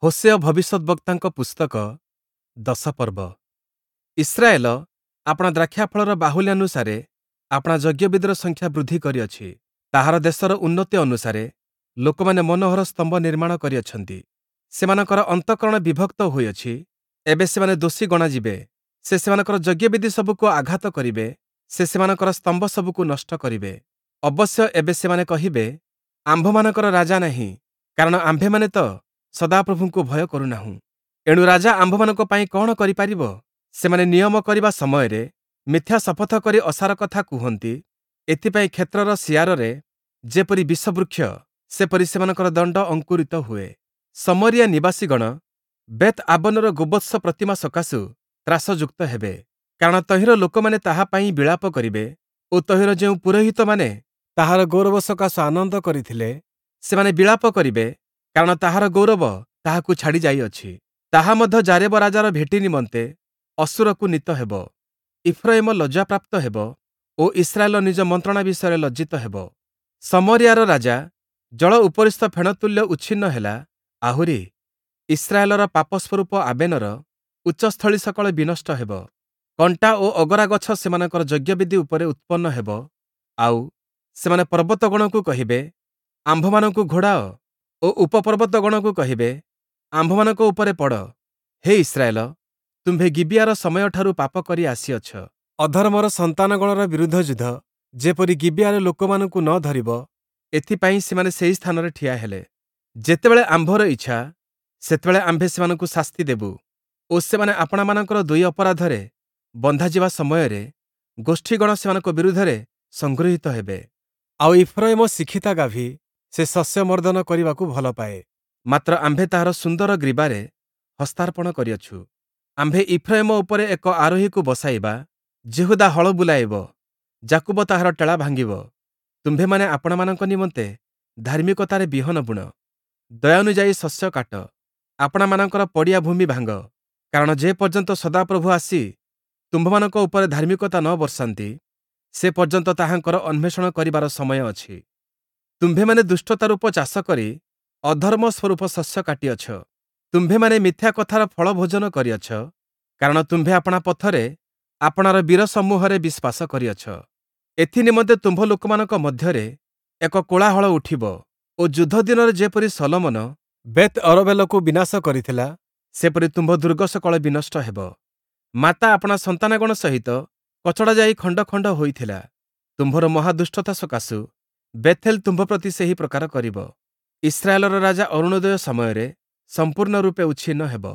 Hoshea ଭବିଷ୍ୟଦ୍‌ବକ୍ତାଙ୍କ ପୁସ୍ତକ ଦଶ ପର୍ବ। ଇସ୍ରାଏଲ ଆପଣା ଦ୍ରାକ୍ଷାଫଳର ବାହୁଲ୍ୟାନୁସାରେ ଆପଣା ଯଜ୍ଞବେଦିର ସଂଖ୍ୟା ବୃଦ୍ଧି କରିଅଛି। ତାହାର ଦେଶର ଉନ୍ନତି ଅନୁସାରେ ଲୋକମାନେ ମନୋହର ସ୍ତମ୍ଭ ନିର୍ମାଣ କରିଅଛନ୍ତି। ସେମାନଙ୍କର ଅନ୍ତଃକରଣ ବିଭକ୍ତ ହୋଇଅଛି, ଏବେ ସେମାନେ ଦୋଷୀ ଗଣାଯିବେ। ସେ ସେମାନଙ୍କର ଯଜ୍ଞବେଦି ସବୁକୁ ଆଘାତ କରିବେ, ସେ ସେମାନଙ୍କର ସ୍ତମ୍ଭ ସବୁକୁ ନଷ୍ଟ କରିବେ। ଅବଶ୍ୟ ଏବେ ସେମାନେ କହିବେ, ଆମ୍ଭମାନଙ୍କର ରାଜା ନାହିଁ, କାରଣ ଆମ୍ଭେମାନେ ତ ସଦାପ୍ରଭୁଙ୍କୁ ଭୟ କରୁନାହୁଁ। ଏଣୁ ରାଜା ଆମ୍ଭମାନଙ୍କ ପାଇଁ କଅଣ କରିପାରିବ? ସେମାନେ ନିୟମ କରିବା ସମୟରେ ମିଥ୍ୟା ଶପଥ କରି ଅସାର କଥା କୁହନ୍ତି। ଏଥିପାଇଁ କ୍ଷେତ୍ରର ଶିଆରରେ ଯେପରି ବିଷବୃକ୍ଷ, ସେପରି ସେମାନଙ୍କର ଦଣ୍ଡ ଅଙ୍କୁରିତ ହୁଏ। ଶମରୀୟା ନିବାସୀଗଣ ବେଥ୍ ଆବନର ଗୋବତ୍ସ ପ୍ରତିମା ସକାଶୁ ତ୍ରାସଯୁକ୍ତ ହେବେ, କାରଣ ତହିଁର ଲୋକମାନେ ତାହା ପାଇଁ ବିଳାପ କରିବେ ଓ ତହିଁର ଯେଉଁ ପୁରୋହିତମାନେ ତାହାର ଗୌରବ ସକାଶୁ ଆନନ୍ଦ କରିଥିଲେ, ସେମାନେ ବିଳାପ କରିବେ, କାରଣ ତାହାର ଗୌରବ ତାହାକୁ ଛାଡ଼ି ଯାଇଅଛି। ତାହା ମଧ୍ୟ ଯାରେବ ରାଜାର ଭେଟି ନିମନ୍ତେ ଅଶୂରକୁ ନୀତ ହେବ। ଇଫ୍ରୟିମ ଲଜ୍ଜାପ୍ରାପ୍ତ ହେବ ଓ ଇସ୍ରାଏଲ ନିଜ ମନ୍ତ୍ରଣା ବିଷୟରେ ଲଜ୍ଜିତ ହେବ। ଶମରୀୟାର ରାଜା ଜଳ ଉପରିସ୍ଥ ଫେଣତୁଲ୍ୟ ଉଚ୍ଛିନ୍ନ ହେଲା, ଆହୁରି ଇସ୍ରାଏଲର ପାପସ୍ୱରୂପ ଆବେନର ଉଚ୍ଚସ୍ଥଳୀ ସକଳ ବିନଷ୍ଟ ହେବ। କଣ୍ଟା ଓ ଅଗରା ଗଛ ସେମାନଙ୍କର ଯଜ୍ଞବେଦି ଉପରେ ଉତ୍ପନ୍ନ ହେବ, ଆଉ ସେମାନେ ପର୍ବତଗଣକୁ କହିବେ, ଆମ୍ଭମାନଙ୍କୁ ଘୋଡ଼ାଅ ଓ ଉପପର୍ବତଗଣକୁ କହିବେ, ଆମ୍ଭମାନଙ୍କ ଉପରେ ପଡ଼। ହେ ଇସ୍ରାଏଲ, ତୁମ୍ଭେ ଗିବିୟାର ସମୟଠାରୁ ପାପ କରି ଆସିଅଛ। ଅଧର୍ମର ସନ୍ତାନଗଣର ବିରୁଦ୍ଧ ଯୁଦ୍ଧ ଯେପରି ଗିବିୟାର ଲୋକମାନଙ୍କୁ ନ ଧରିବ, ଏଥିପାଇଁ ସେମାନେ ସେହି ସ୍ଥାନରେ ଠିଆ ହେଲେ। ଯେତେବେଳେ ଆମ୍ଭର ଇଚ୍ଛା, ସେତେବେଳେ ଆମ୍ଭେ ସେମାନଙ୍କୁ ଶାସ୍ତି ଦେବୁ ଓ ସେମାନେ ଆପଣାମାନଙ୍କର ଦୁଇ ଅପରାଧରେ ବନ୍ଧାଯିବା ସମୟରେ ଗୋଷ୍ଠୀଗଣ ସେମାନଙ୍କ ବିରୁଦ୍ଧରେ ସଂଗୃହୀତ ହେବେ। ଆଉ ଇଫ୍ରୟିମ ଶିକ୍ଷିତା ଗାଭୀ, ସେ ଶସ୍ୟ ମର୍ଦ୍ଦନ କରିବାକୁ ଭଲ ପାଏ, ମାତ୍ର ଆମ୍ଭେ ତାହାର ସୁନ୍ଦର ଗ୍ରୀବାରେ ହସ୍ତାର୍ପଣ କରିଅଛୁ। ଆମ୍ଭେ ଇଫ୍ରୟିମ ଉପରେ ଏକ ଆରୋହୀକୁ ବସାଇବା, ଯିହୁଦା ହଳ ବୁଲାଇବ, ଯାକୁବ ତାହାର ଟେଳା ଭାଙ୍ଗିବ। ତୁମ୍ଭେମାନେ ଆପଣାମାନଙ୍କ ନିମନ୍ତେ ଧାର୍ମିକତାରେ ବିହନ ବୁଣ, ଦୟାନୁଯାୟୀ ଶସ୍ୟ କାଟ, ଆପଣାମାନଙ୍କର ପଡ଼ିଆ ଭୂମି ଭାଙ୍ଗ, କାରଣ ଯେପର୍ଯ୍ୟନ୍ତ ସଦାପ୍ରଭୁ ଆସି ତୁମ୍ଭମାନଙ୍କ ଉପରେ ଧାର୍ମିକତା ନ ବର୍ଷାନ୍ତି, ସେ ପର୍ଯ୍ୟନ୍ତ ତାହାଙ୍କର ଅନ୍ୱେଷଣ କରିବାର ସମୟ ଅଛି। ତୁମ୍ଭେମାନେ ଦୁଷ୍ଟତା ରୂପ ଚାଷ କରି ଅଧର୍ମ ସ୍ୱରୂପ ଶସ୍ୟ କାଟିଅଛ। ତୁମ୍ଭେମାନେ ମିଥ୍ୟା କଥାର ଫଳ ଭୋଜନ କରିଅଛ, କାରଣ ତୁମ୍ଭେ ଆପଣା ପଥରେ ଆପଣାର ବୀର ସମୂହରେ ବିଶ୍ୱାସ କରିଅଛ। ଏଥି ନିମନ୍ତେ ତୁମ୍ଭ ଲୋକମାନଙ୍କ ମଧ୍ୟରେ ଏକ କୋଳାହଳ ଉଠିବ ଓ ଯୁଦ୍ଧ ଦିନରେ ଯେପରି ଶଲୋମନ ବେଥ୍ ଅରବେଲକୁ ବିନାଶ କରିଥିଲା, ସେପରି ତୁମ୍ଭ ଦୁର୍ଗ ସକଳ ବିନଷ୍ଟ ହେବ। ମାତା ଆପଣା ସନ୍ତାନଗଣ ସହିତ କଚଡ଼ା ଯାଇ ଖଣ୍ଡ ଖଣ୍ଡ ହୋଇଥିଲା। ତୁମ୍ଭର ମହାଦୁଷ୍ଟତା ସକାଶୁ ବେଥେଲ ତୁମ୍ଭ ପ୍ରତି ସେହି ପ୍ରକାର କରିବ। ଇସ୍ରାଏଲର ରାଜା ଅରୁଣୋଦୟ ସମୟରେ ସମ୍ପୂର୍ଣ୍ଣ ରୂପେ ଉଚ୍ଛିନ୍ନ ହେବ।